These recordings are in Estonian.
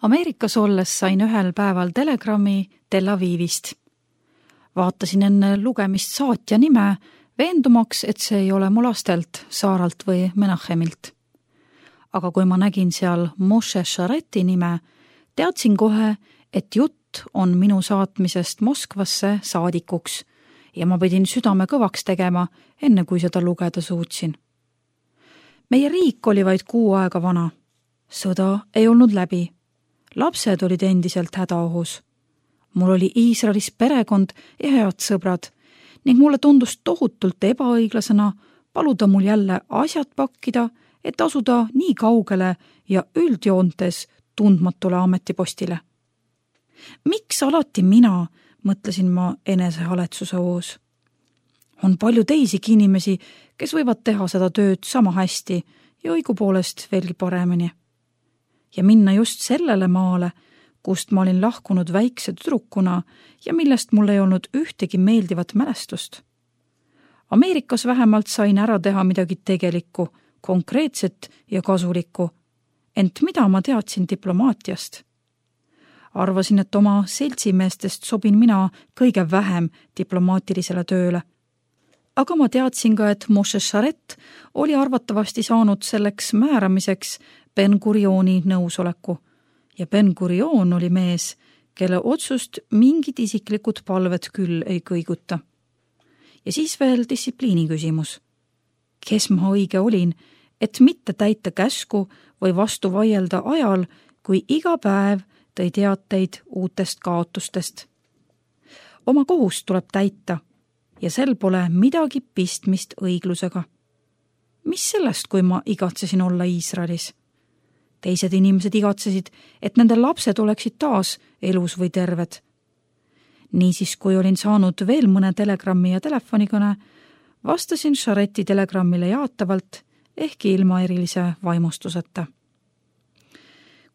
Ameerikas olles sain ühel päeval telegrammi Tel Avivist. Vaatasin enne lugemist saatja nime, veendumaks, et see ei ole mu lastelt, Saaralt või Menachemilt. Aga kui ma nägin seal Moshe Shareti nime, teadsin kohe, et jutt on minu saatmisest Moskvasse saadikuks ja ma pidin südame kõvaks tegema, enne kui seda lugeda suutsin. Meie riik oli vaid 6 aega vana. Sõda ei olnud läbi. Lapsed olid endiselt hädaohus. Mul oli Iisraelis perekond ja head sõbrad ning mulle tundus tohutult ebaõiglasena paluda mul jälle asjad pakkida, et asuda nii kaugele ja üldjoontes tundmatule ametipostile. Miks alati mina, mõtlesin ma enesehaletsuse hoos. On palju teisigi inimesi, kes võivad teha seda tööd sama hästi ja õigupoolest veelgi paremini. Ja minna just sellele maale, kust ma olin lahkunud väikse tüdrukuna ja millest mul ei olnud ühtegi meeldivat mälestust. Ameerikas vähemalt sain ära teha midagi tegelikku, konkreetset ja kasulikku, ent mida ma teadsin diplomaatiast? Arvasin, et oma seltsimeestest sobin mina kõige vähem diplomaatilisele tööle. Aga ma teadsin ka, et Moshe Sharet oli arvatavasti saanud selleks määramiseks Ben-Gurioni nõusoleku ja Ben-Gurion oli mees, kelle otsust mingid isiklikud palved küll ei kõiguta. Ja siis veel distsipliini küsimus. Kes ma õige olin, et mitte täita käsku või vastu vaielda ajal, kui iga päev tõi teateid uutest kaotustest. Oma kohust tuleb täita ja sel pole midagi pistmist õiglusega. Mis sellest, kui ma igatsesin olla Iisraelis? Teised inimesed igatsesid, et nende lapsed oleksid taas elus või terved. Niisiis, kui olin saanud veel mõne telegrammi ja telefonikõne, vastasin Shareti telegrammile jaatavalt, ehkki ilma erilise vaimustuseta.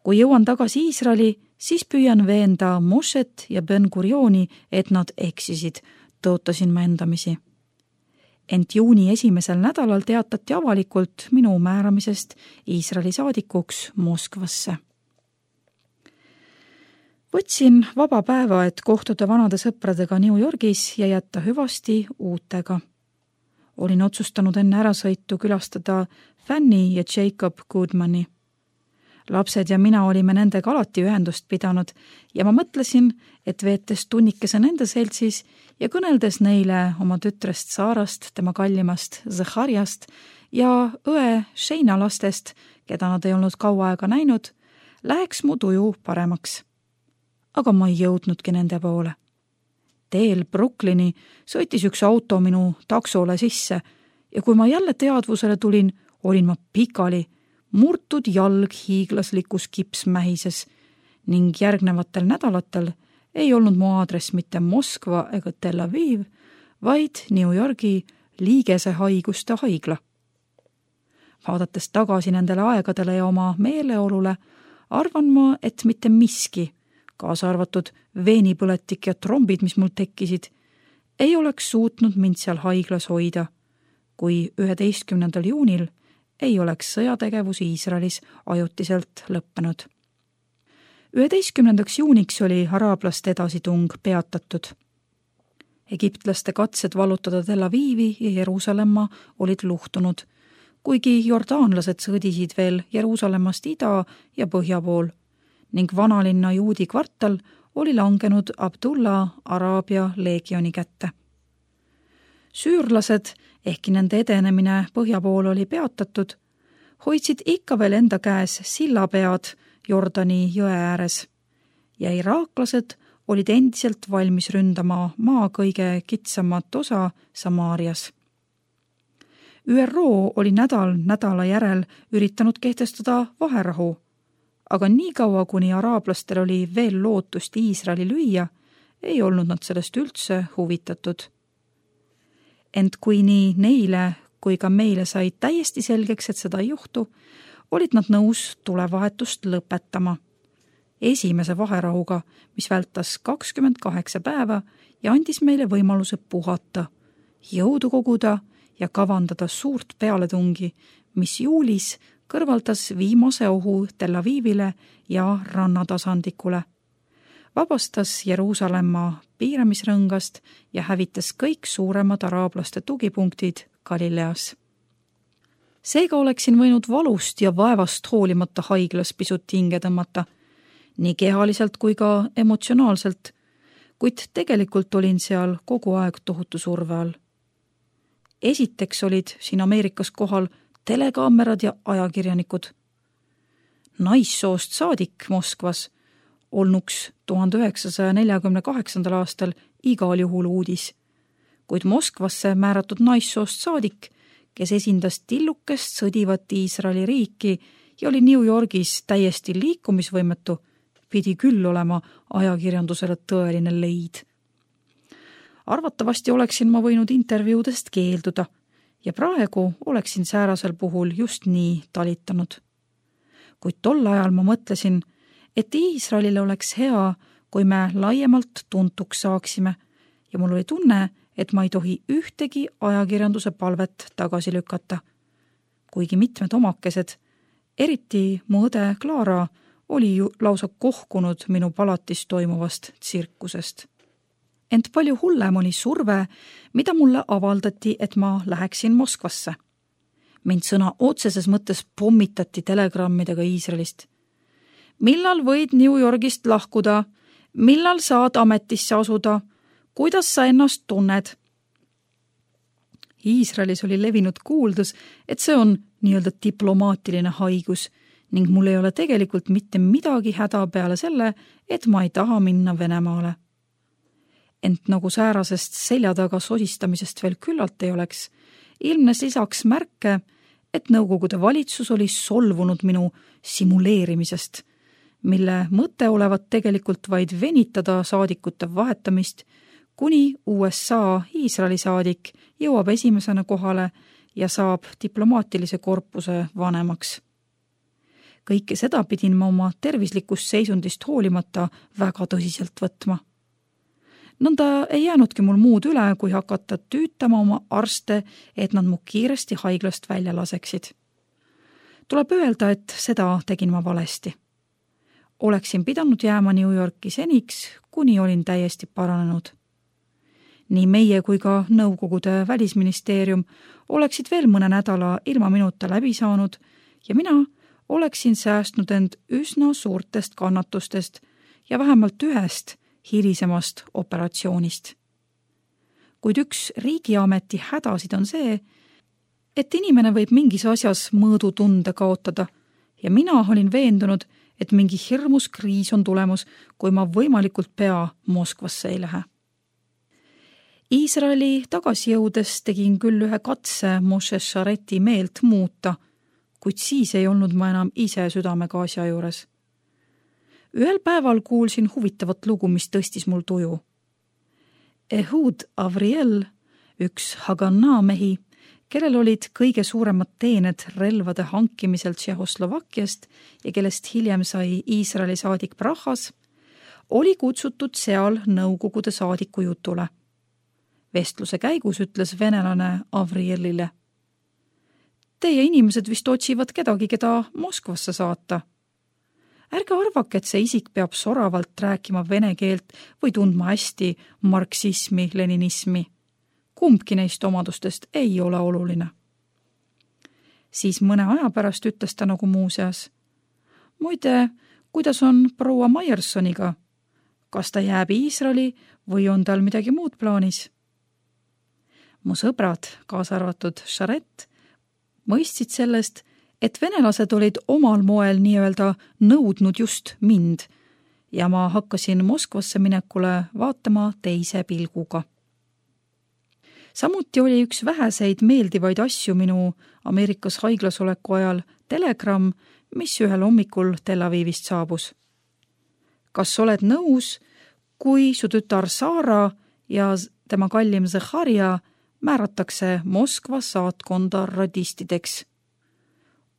Kui jõuan tagasi Iisraeli, siis püüan veenda Moshet ja Ben-Gurioni, et nad eksisid, tõotasin ma endamisi. Ent juuni 1. nädalal teatati avalikult minu määramisest Iisraeli saadikuks Moskvasse. Võtsin vaba päeva, et kohtuda vanade sõpradega New Yorgis ja jätta hüvasti uutega. Olin otsustanud enne ärasõitu külastada Fanny ja Jacob Goodmani. Lapsed ja mina olime nendega alati ühendust pidanud ja ma mõtlesin, et veetes tunnikese nende seltsis ja kõneldes neile oma tütrest Saarast, tema kallimast Zachariast ja õe Sheina lastest, keda nad ei olnud kaua aega näinud, läheks mu tuju paremaks. Aga ma ei jõudnudki nende poole. Teel Brooklyni sõitis üks auto minu taksole sisse ja kui ma jälle teadvusele tulin, olin ma pikali, murtud jalg hiiglaslikus kipsmähises ning järgnevatel nädalatel ei olnud mu aadress mitte Moskva ega Tel Aviv, vaid New Yorgi liigese haiguste haigla. Vaadates tagasi nendele aegadele ja oma meeleolule, arvan ma, et mitte miski, kaasa arvatud veenipõletik ja trombid, mis mul tekkisid, ei oleks suutnud mind seal haiglas hoida, kui 11. juunil ei oleks sõjategevus Iisraelis ajutiselt lõppenud. 11. juuniks oli araablaste edasitung peatatud. Egiptlaste katsed vallutada Tel Avivi ja Jeruusalemma olid luhtunud, kuigi jordaanlased sõdisid veel Jeruusalemmast ida ja põhja pool ning vanalinna juudi kvartal oli langenud Abdullah Araabia leegioni kätte. Süürlased, ehkki nende edenemine põhja pool oli peatatud, hoidsid ikka veel enda käes sillapead Jordani jõe ääres ja iraaklased olid endiselt valmis ründama maa kõige kitsamat osa Samaarias. ÜRO oli nädala järel üritanud kehtestada vaherahu, aga nii kaua, kuni araablastel oli veel lootust Iisraeli lüüa, ei olnud nad sellest üldse huvitatud. Ent kui nii neile kui ka meile sai täiesti selgeks, et seda ei juhtu, olid nad nõus tulevahetust lõpetama. Esimese vaherahuga, mis vältas 28 päeva ja andis meile võimaluse puhata, jõudu koguda ja kavandada suurt pealetungi, mis juulis kõrvaldas viimase ohu Tel Avivile ja rannatasandikule, vabastas Jeruusalemma piiramisrõngast ja hävitas kõik suuremad araablaste tugipunktid Galileas. Seega oleksin võinud valust ja vaevast hoolimata haiglas pisut hinge tõmmata, nii kehaliselt kui ka emotsionaalselt, kuid tegelikult olin seal kogu aeg tohutu surve all. Esiteks olid siin Ameerikas kohal telekaamerad ja ajakirjanikud. Naissoost saadik Moskvas olnuks 1948. aastal igal juhul uudis, kuid Moskvasse määratud naissoost saadik, kes esindas tillukest sõdivat Iisraeli riiki ja oli New Yorgis täiesti liikumisvõimetu, pidi küll olema ajakirjandusele tõeline leid. Arvatavasti oleksin ma võinud intervjuudest keelduda ja praegu oleksin säärasel puhul just nii talitanud. Kuid tol ajal ma mõtlesin, et Iisraelile oleks hea, kui me laiemalt tuntuks saaksime ja mul oli tunne, et ma ei tohi ühtegi ajakirjanduse palvet tagasi lükata. Kuigi mitmed omakesed, eriti mu õde Clara, oli ju lausa kohkunud minu palatis toimuvast tsirkusest. Ent palju hullem oli surve, mida mulle avaldati, et ma läheksin Moskvasse. Mind sõna otseses mõttes pommitati telegrammidega Iisraelist. Millal võid New Yorgist lahkuda? Millal saad ametisse asuda? Kuidas sa ennast tunned? Iisraelis oli levinud kuuldus, et see on nii-öelda diplomaatiline haigus ning mul ei ole tegelikult mitte midagi häda peale selle, et ma ei taha minna Venemaale. Ent nagu säärasest selja taga sosistamisest veel küllalt ei oleks, ilmnes lisaks märke, et Nõukogude valitsus oli solvunud minu simuleerimisest, mille mõte olevat tegelikult vaid venitada saadikute vahetamist, kuni USA Iisraeli saadik jõuab esimesena kohale ja saab diplomaatilise korpuse vanemaks. Kõike seda pidin ma oma tervislikust seisundist hoolimata väga tõsiselt võtma. Nõnda ei jäänudki mul muud üle, kui hakata tüütama oma arste, et nad mu kiiresti haiglast välja laseksid. Tuleb öelda, et seda tegin ma valesti. Oleksin pidanud jääma New Yorki seniks, kuni olin täiesti paranenud. Nii meie kui ka Nõukogude välisministeerium oleksid veel mõne nädala ilma minuta läbi saanud ja mina oleksin säästnud end üsna suurtest kannatustest ja vähemalt ühest hilisemast operatsioonist. Kuid üks riigiameti hädasid on see, et inimene võib mingis asjas mõõdutunde kaotada ja mina olin veendunud, et mingi hirmus kriis on tulemus, kui ma võimalikult pea Moskvasse ei lähe. Iisraeli tagasi jõudes tegin küll ühe katse Moshe Shareti meelt muuta, kuid siis ei olnud ma enam ise südamega asja juures. Ühel päeval kuulsin huvitavat lugu, mis tõstis mul tuju. Ehud Avriel, üks Haganah mehi, kellel olid kõige suuremad teened relvade hankimisel Tšehhoslovakkiast ja kellest hiljem sai Iisraeli saadik Prahas, oli kutsutud seal Nõukogude saadiku jutule. Vestluse käigus ütles venelane Avrielile: Teie inimesed vist otsivad kedagi, keda Moskvasse saata. Ärge arvake, et see isik peab soravalt rääkima vene keelt või tundma hästi marksismi, leninismi. Kumbki neist omadustest ei ole oluline. Siis mõne aja pärast ütles ta nagu muuseas: Muide, kuidas on proua Meyersoniga? Kas ta jääb Iisraeli või on tal midagi muud plaanis? Mu sõbrad, kaasa arvatud Sharet, mõistsid sellest, et venelased olid omal moel nii-öelda nõudnud just mind ja ma hakkasin Moskvasse minekule vaatama teise pilguga. Samuti oli üks väheseid meeldivaid asju minu Ameerikas haiglas oleku ajal telegramm, mis ühel hommikul Tel Avivist saabus. Kas oled nõus, kui su tütar Sara ja tema kallim Zecharia määratakse Moskva saatkonda radistideks?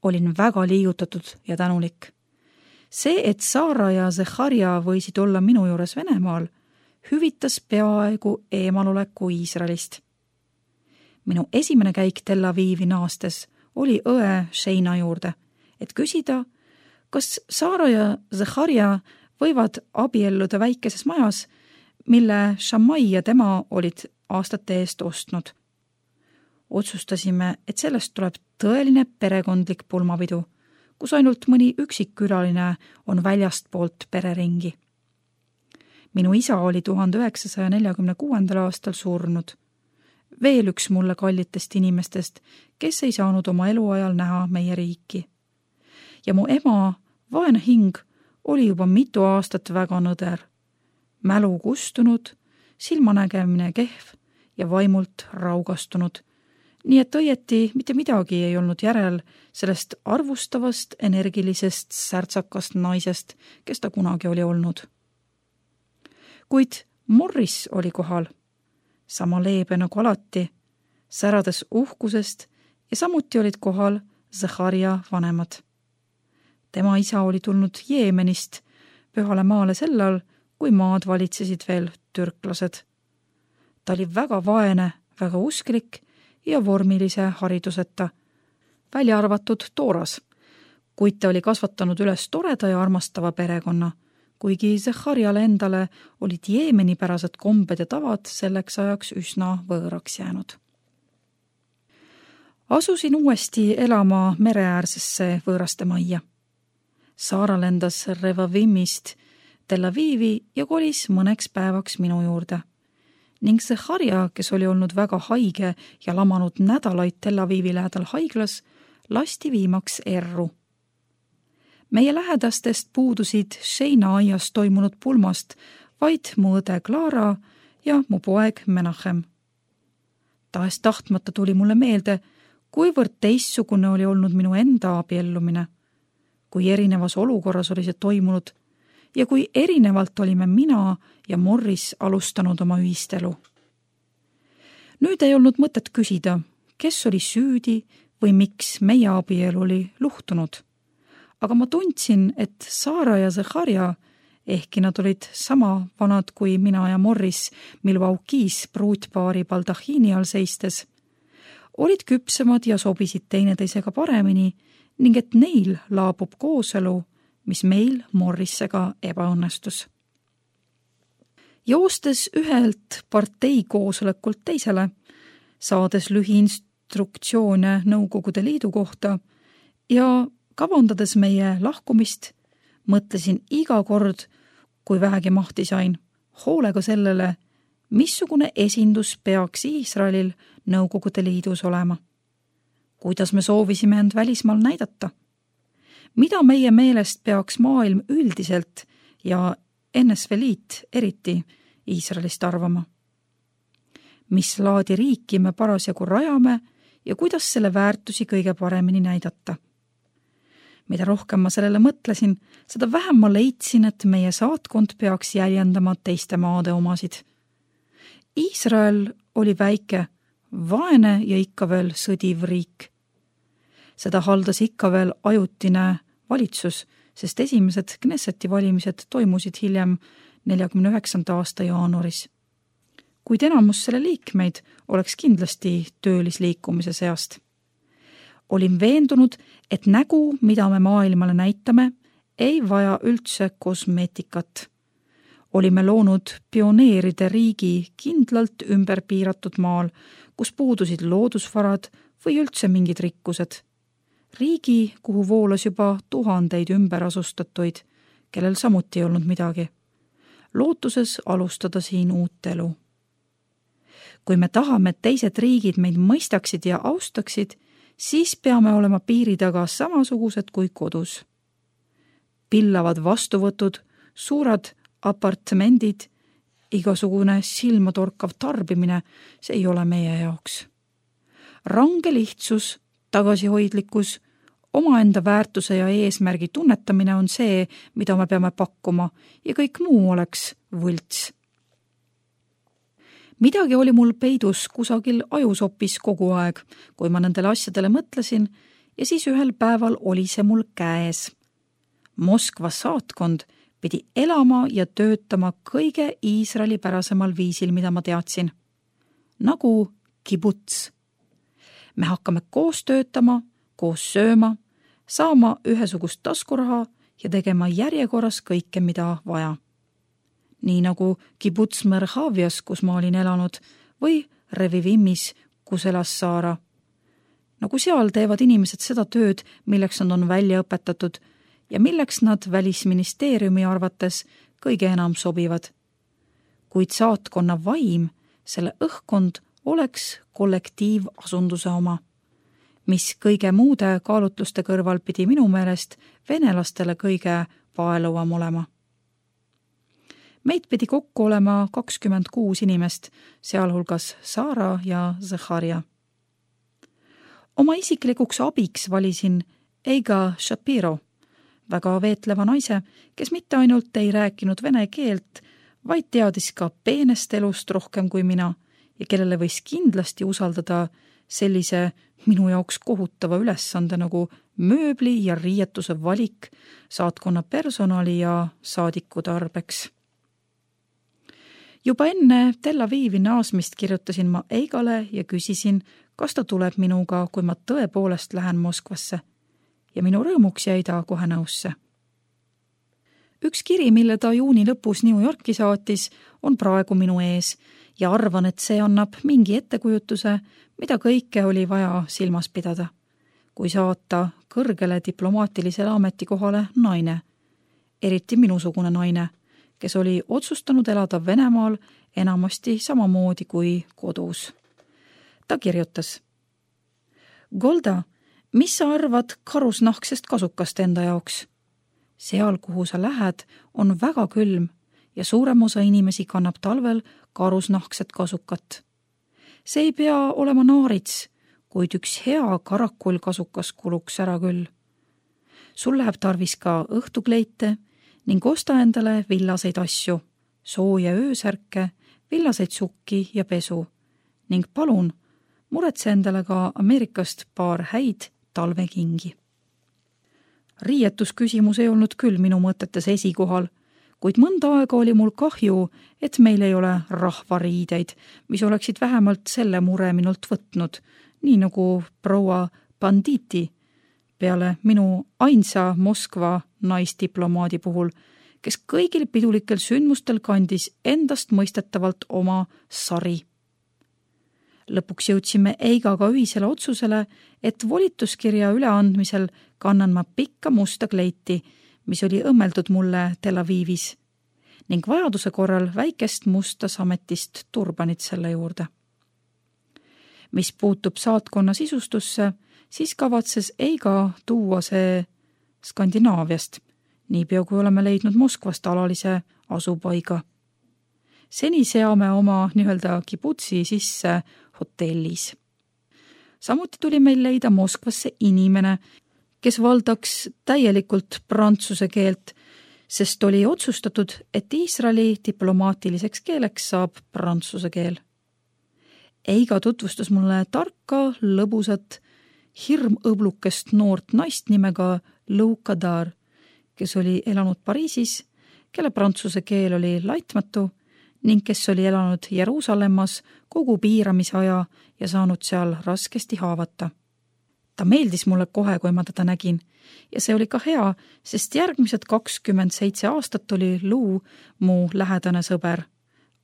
Olin väga liigutatud ja tänulik. See, et Sara ja Zecharia võisid olla minu juures Venemaal, hüvitas peaaegu eemaloleku Iisraelist. Minu esimene käik Tel Avivi naastes oli õe Sheina juurde et küsida, kas Saara ja Zachariah võivad abielluda väikeses majas, mille Shammai ja tema olid aastate eest ostnud. Otsustasime, et sellest tuleb tõeline perekondlik pulmapidu, kus ainult mõni üksik külaline on väljastpoolt pereringi. Minu isa oli 1946. aastal surnud. Veel üks mulle kallitest inimestest, kes ei saanud oma eluajal näha meie riiki. Ja mu ema, vaene hing, oli juba mitu aastat väga nõder. Mälu kustunud, silmanägemine kehv ja vaimult raugastunud. Nii et õieti mitte midagi ei olnud järel sellest arvustavast, energilisest, särtsakast naisest, kes ta kunagi oli olnud. Kuid Morris oli kohal, sama leebe nagu alati, särades uhkusest ja samuti olid kohal Zachariah vanemad. Tema isa oli tulnud Jeemenist pühale maale sellal, kui maad valitsesid veel türklased. Ta oli väga vaene, väga usklik ja vormilise hariduseta, välja arvatud Tooras, kuid ta oli kasvatanud üles toreda ja armastava perekonna, kuigi Zachariale endale olid jeemenipärased kombed ja tavad selleks ajaks üsna võõraks jäänud. Asusin uuesti elama mereäärsesse võõraste majja. Saara lendas Revavimist Tel Avivi ja kolis mõneks päevaks minu juurde. Ning Zachariah, kes oli olnud väga haige ja lamanud nädalaid Tel Avivi lähedal haiglas, lasti viimaks erru. Meie lähedastest puudusid Sheina aias toimunud pulmast vaid mu õde Clara ja mu poeg Menachem. Tahes tahtmata tuli mulle meelde, kuivõrd teistsugune oli olnud minu enda abiellumine, kui erinevas olukorras oli see toimunud ja kui erinevalt olime mina ja Morris alustanud oma ühistelu. Nüüd ei olnud mõtet küsida, kes oli süüdi või miks meie abielu oli luhtunud. Aga ma tundsin, et Saara ja Zachariah, ehkki nad olid sama vanad kui mina ja Morris Milwaukee's pruutpaari baldahiini all seistes, olid küpsemad ja sobisid teineteisega paremini ning et neil laabub kooselu, mis meil Morrisega ebaõnnestus. Joostes ühelt partei koosolekult teisele, saades lühiinstruktsioone Nõukogude Liidu kohta ja kavandades meie lahkumist, mõtlesin iga kord, kui vähegi mahti sain, hoolega sellele, missugune esindus peaks Iisraelil Nõukogude Liidus olema. Kuidas me soovisime end välismaal näidata? Mida meie meelest peaks maailm üldiselt ja NSV Liit eriti Iisraelist arvama? Mis laadi riiki me parasjagu rajame ja kuidas selle väärtusi kõige paremini näidata? Mida rohkem ma sellele mõtlesin, seda vähem ma leidsin, et meie saatkond peaks jäljendama teiste maade omasid. Iisrael oli väike, vaene ja ikka veel sõdiv riik. Seda haldas ikka veel ajutine valitsus, sest esimesed Knesseti valimised toimusid hiljem 49. aasta jaanuaris. Kuid enamus selle liikmeid oleks kindlasti töölisliikumise seast. Olin veendunud, et nägu, mida me maailmale näitame, ei vaja üldse kosmeetikat. Olime loonud pioneeride riigi kindlalt ümber piiratud maal, kus puudusid loodusvarad või üldse mingid rikkused. Riigi, kuhu voolas juba tuhandeid ümberasustatuid, kellel samuti ei olnud midagi. Lootuses alustada siin uut elu. Kui me tahame, et teised riigid meid mõistaksid ja austaksid, siis peame olema piiri taga samasugused kui kodus. Pillavad vastuvõtud, suured apartmendid, igasugune silmatorkav tarbimine, see ei ole meie jaoks. Range lihtsus, tagasihoidlikkus, omaenda väärtuse ja eesmärgi tunnetamine on see, mida me peame pakkuma ja kõik muu oleks võlts. Midagi oli mul peidus kusagil ajusopis kogu aeg, kui ma nendele asjadele mõtlesin ja siis ühel päeval oli see mul käes. Moskva saatkond pidi elama ja töötama kõige Iisraeli pärasemal viisil, mida ma teadsin. Nagu kibuts. Me hakkame koos töötama, koos sööma, saama ühesugust taskuraha ja tegema järjekorras kõike, mida vaja. Nii nagu Kibuts Merhavias, kus ma olin elanud, või Revivimis, kus elas Saara. Nagu seal teevad inimesed seda tööd, milleks nad on välja õpetatud ja milleks nad Välisministeeriumi arvates kõige enam sobivad. Kuid saatkonna vaim, selle õhkkond oleks kollektiivasunduse oma, mis kõige muude kaalutluste kõrval pidi minu meelest venelastele kõige paeluvam olema. Meid pidi kokku olema 26 inimest, sealhulgas Saara ja Zaharia. Oma isiklikuks abiks valisin Eiga Shapiro, väga veetleva naise, kes mitte ainult ei rääkinud vene keelt, vaid teadis ka peenest elust rohkem kui mina ja kellele võis kindlasti usaldada sellise minu jaoks kohutava ülesande nagu mööbli ja riietuse valik saatkonna personali ja saadiku tarbeks. Juba enne Tel Avivi naasmist kirjutasin ma Eigale ja küsisin, kas ta tuleb minuga, kui ma tõepoolest lähen Moskvasse. Ja minu rõõmuks jäi ta kohe nõusse. Üks kiri, mille ta juuni lõpus New Yorki saatis, on praegu minu ees ja arvan, et see annab mingi ettekujutuse, mida kõike oli vaja silmas pidada, kui saata kõrgele diplomaatilisele ametikohale naine, eriti minusugune naine, kes oli otsustanud elada Venemaal enamasti samamoodi kui kodus. Ta kirjutas: Golda, mis sa arvad karusnahksest kasukast enda jaoks? Seal, kuhu sa lähed, on väga külm ja suurem osa inimesi kannab talvel karusnahkset kasukat. See ei pea olema naarits, kuid üks hea karakullkasukas kuluks ära küll. Sul läheb tarvis ka õhtukleite ning osta endale villaseid asju, sooja öösärke, villaseid sukki ja pesu ning palun, muretse endale ka Ameerikast paar häid talvekingi. Riietusküsimus ei olnud küll minu mõtetes esikohal, kuid mõnda aega oli mul kahju, et meil ei ole rahvariideid, mis oleksid vähemalt selle mure minult võtnud, nii nagu proua Banditi, peale minu ainsa Moskva naisdiplomaadi puhul, kes kõigil pidulikel sündmustel kandis endast mõistetavalt oma sari. Lõpuks jõudsime Eigaga ühisele otsusele, et volituskirja üleandmisel kannan ma pikka musta kleiti, mis oli õmmeldud mulle Tel Avivis, ning vajaduse korral väikest musta sametist turbanit selle juurde. Mis puutub saatkonna sisustusse, siis kavatses Eiga tuua see Skandinaaviast, niipea kui oleme leidnud Moskvast alalise asupaiga. Seni seame oma nii-öelda kibutsi sisse hotellis. Samuti tuli meil leida Moskvasse inimene, kes valdaks täielikult prantsuse keelt, sest oli otsustatud, et Iisraeli diplomaatiliseks keeleks saab prantsuse keel. Eiga tutvustas mulle tarka, lõbusat, hirmõblukest noort naist nimega Lou Kadar, kes oli elanud Pariisis, kelle prantsuse keel oli laitmatu ning kes oli elanud Jeruusalemmas kogu piiramisaja ja saanud seal raskesti haavata. Ta meeldis mulle kohe, kui ma teda nägin ja see oli ka hea, sest järgmised 27 aastat oli Lou mu lähedane sõber,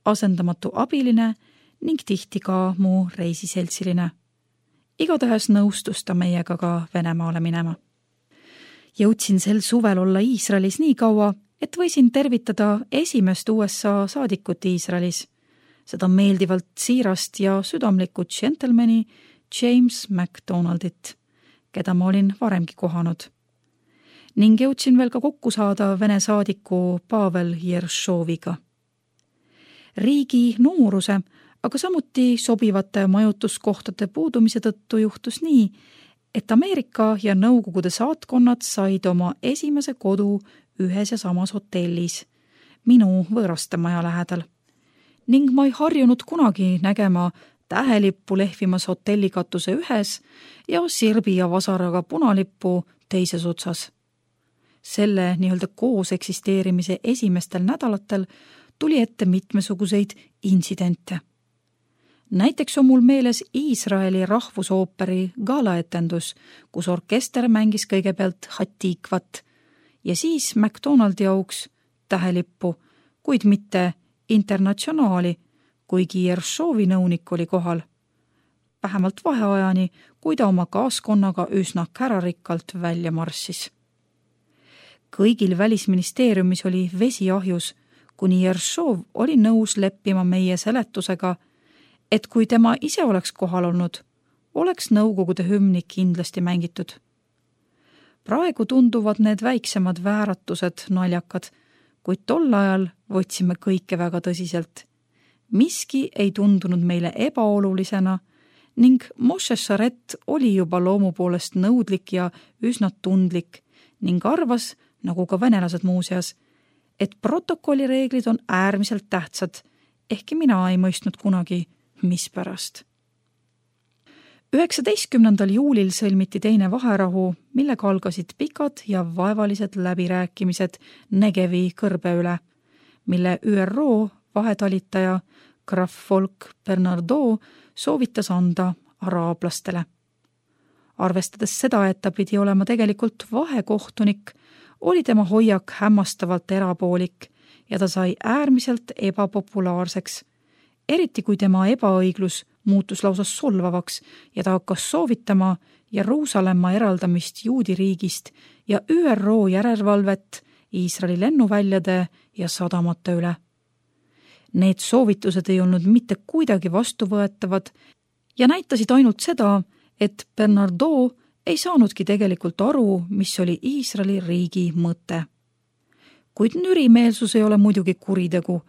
asendamatu abiline ning tihti ka mu reisiseltsiline. Igatahes nõustus ta meiega ka Venemaale minema. Jõudsin sel suvel olla Iisraelis nii kaua, et võisin tervitada esimest USA saadikut Iisraelis, seda meeldivalt siirast ja südamlikku džentelmeni James McDonaldit, keda ma olin varemgi kohanud. Ning jõudsin veel ka kokku saada Vene saadiku Pavel Jeršoviga. Riigi nooruse, aga samuti sobivate majutuskohtade puudumise tõttu juhtus nii, et Ameerika ja Nõukogude saatkonnad said oma esimese kodu ühes ja samas hotellis, minu võõrastemaja lähedal. Ning ma ei harjunud kunagi nägema tähelippu lehvimas hotellikatuse ühes ja sirbi ja vasaraga punalippu teises otsas. Selle nii-öelda koos eksisteerimise esimestel nädalatel tuli ette mitmesuguseid intsidente. Näiteks on mul meeles Iisraeli rahvusooperi galaetendus, kus orkester mängis kõigepealt Hatikvat ja siis McDonaldi auks tähelippu, kuid mitte Internatsionaali, kuigi Jershovi nõunik oli kohal. Vähemalt vaheajani, kui ta oma kaaskonnaga üsna kärarikkalt välja marssis. Kõigil välisministeeriumis oli vesi ahjus, kuni Jershov oli nõus leppima meie seletusega, et kui tema ise oleks kohal olnud, oleks Nõukogude hümni kindlasti mängitud. Praegu tunduvad need väiksemad vääratused naljakad, kuid tol ajal võtsime kõike väga tõsiselt. Miski ei tundunud meile ebaolulisena ning Moshe Sharet oli juba loomu poolest nõudlik ja üsna tundlik ning arvas, nagu ka venelased muuseas, et protokollireeglid on äärmiselt tähtsad, ehkki mina ei mõistnud kunagi, mispärast. 19. juulil sõlmiti teine vaherahu, millega algasid pikad ja vaevalised läbirääkimised Negevi kõrbe üle, mille ÜRO vahetalitaja Graf Volk Bernardo soovitas anda araablastele. Arvestades seda, et ta pidi olema tegelikult vahekohtunik, oli tema hoiak hämmastavalt erapoolik ja ta sai äärmiselt ebapopulaarseks, eriti kui tema ebaõiglus muutus lausa solvavaks ja ta hakkas soovitama Jeruusalemma eraldamist juudi riigist ja ÜRO järelevalvet Iisraeli lennuväljade ja sadamate üle. Need soovitused ei olnud mitte kuidagi vastuvõetavad ja näitasid ainult seda, et Bernardo ei saanudki tegelikult aru, mis oli Iisraeli riigi mõte. Kuid nürimeelsus ei ole muidugi kuritegu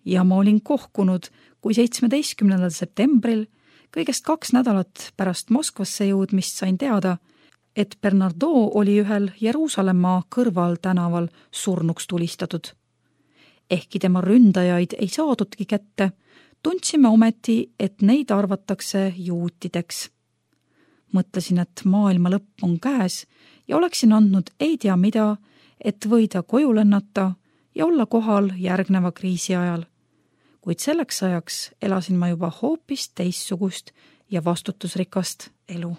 ja ma olin kohkunud, kui 17. septembril, kõigest 2 nädalat pärast Moskvasse jõudmist sain teada, et Bernardo oli ühel Jeruusalemma kõrval tänaval surnuks tulistatud. Ehkki tema ründajaid ei saadudki kätte, tundsime ometi, et neid arvatakse juutideks. Mõtlesin, et maailma lõpp on käes ja oleksin andnud ei tea mida, et võida koju lennata ja olla kohal järgneva kriisi ajal. Kuid selleks ajaks elasin ma juba hoopis teistsugust ja vastutusrikast elu.